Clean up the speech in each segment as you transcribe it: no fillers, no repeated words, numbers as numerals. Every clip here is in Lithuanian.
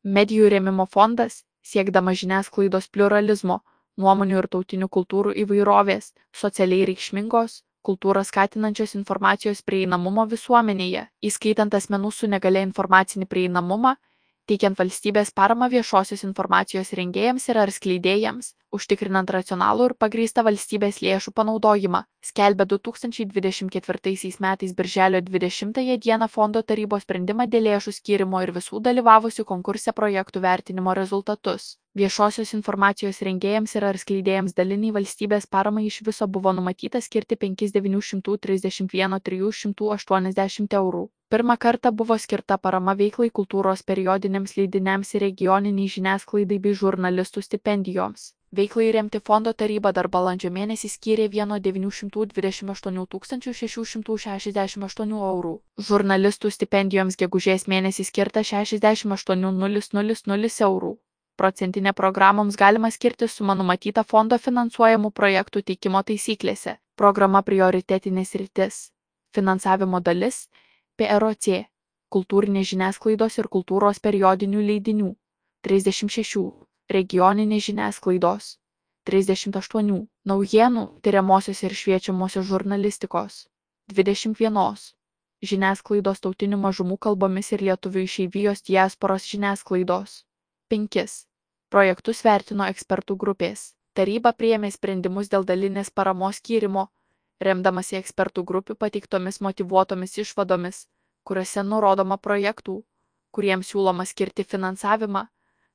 Medijų rėmimo fondas, siekdamas žiniasklaidos pliuralizmo, nuomonių ir tautinių kultūrų įvairovės, socialiai reikšmingos, kultūrą skatinančios informacijos prieinamumo visuomenėje, įskaitant asmenų su negalia informacinį prieinamumą, teikiant valstybės paramą viešosios informacijos rengėjams ir ar skleidėjams, užtikrinant racionalų ir pagrįstą valstybės lėšų panaudojimą, skelbia 2024 metais birželio 20 dieną fondo tarybos sprendimą dėl lėšų skyrimo ir visų dalyvavusių konkurse projektų vertinimo rezultatus. Viešosios informacijos rengėjams ir ar skleidėjams daliniai valstybės paramai iš viso buvo numatyta skirti 5 931 380 eurų. Pirmą kartą buvo skirta parama veiklai kultūros periodiniams leidiniams ir regioniniai žiniasklaidai bei žurnalistų stipendijoms. Veiklai remti fondo taryba dar balandžio mėnesį skyrė 1 928 668 eurų. Žurnalistų stipendijoms gegužės mėnesį skirta 68 000 eurų. Procentinė programoms galima skirti suma numatyta fondo finansuojamų projektų teikimo taisyklėse. Programa prioritetinės sritis. Finansavimo dalis. PROC. Kultūrinės žiniasklaidos ir kultūros periodinių leidinių. 36. Regioninės žiniasklaidos. 38. Naujienų, tyriamosios ir šviečiamosios žurnalistikos. 21. Žiniasklaidos tautinių mažumų kalbomis ir lietuvių išeivijos diasporos žiniasklaidos. 5. Projektus vertino ekspertų grupės. Taryba priėmė sprendimus dėl dalinės paramos skyrimo, remdamasi ekspertų grupių pateiktomis motyvuotomis išvadomis, kuriuose nurodoma projektų, kuriems siūloma skirti finansavimą,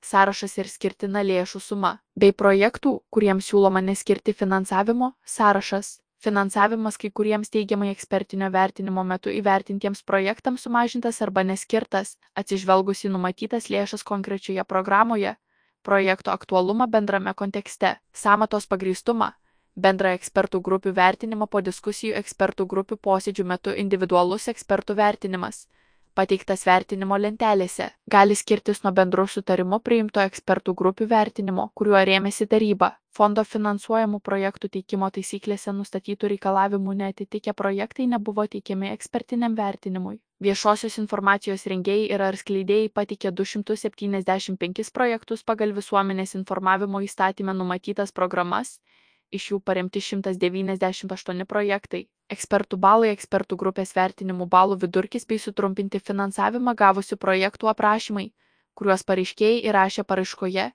sąrašas ir skirtina lėšų suma, bei projektų, kuriems siūloma neskirti finansavimo, sąrašas. Finansavimas kai kuriems teigiamai ekspertinio vertinimo metu įvertintiems projektams sumažintas arba neskirtas, atsižvelgus į numatytas lėšas konkrečioje programoje, projekto aktualumą bendrame kontekste, sąmatos pagrįstumą, bendrą ekspertų grupių vertinimą po diskusijų ekspertų grupių posėdžių metu individualus ekspertų vertinimas, pateiktas vertinimo lentelėse, gali skirtis nuo bendrų sutarimų priimto ekspertų grupių vertinimo, kuriuo rėmėsi taryba. Fondo finansuojamų projektų teikimo taisyklėse nustatytų reikalavimų neatitikę projektai nebuvo teikiami ekspertiniam vertinimui. Viešosios informacijos rengėjai ir ar skleidėjai pateikė 275 projektus pagal visuomenės informavimo įstatyme numatytas programas, iš jų paremti 198 projektai. Ekspertų balai, ekspertų grupės vertinimų balų vidurkis bei sutrumpinti finansavimą gavusių projektų aprašymai, kuriuos pareiškėjai įrašė paraiškoje,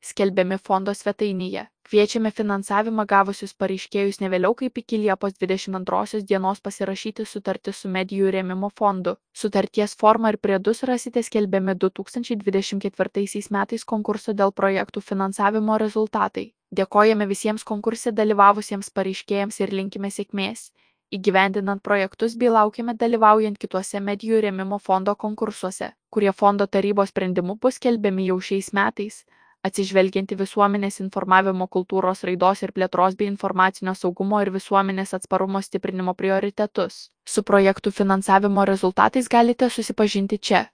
skelbiami fondo svetainėje. Kviečiame finansavimą gavusius pareiškėjus ne vėliau kaip iki Liepos 22 dienos pasirašyti sutartį su Medijų rėmimo fondu. Sutarties formą ir priedus rasite skelbiami 2024 metais konkurso dėl projektų finansavimo rezultatai. Dėkojame visiems konkurse dalyvavusiems pareiškėjams ir linkime sėkmės, įgyvendinant projektus bei laukiame dalyvaujant kituose Medijų rėmimo fondo konkursuose, kurie fondo tarybos sprendimu bus skelbiami jau šiais metais, atsižvelgiant į visuomenės informavimo kultūros raidos ir plėtros bei informacinio saugumo ir visuomenės atsparumo stiprinimo prioritetus. Su projektų finansavimo rezultatais galite susipažinti čia.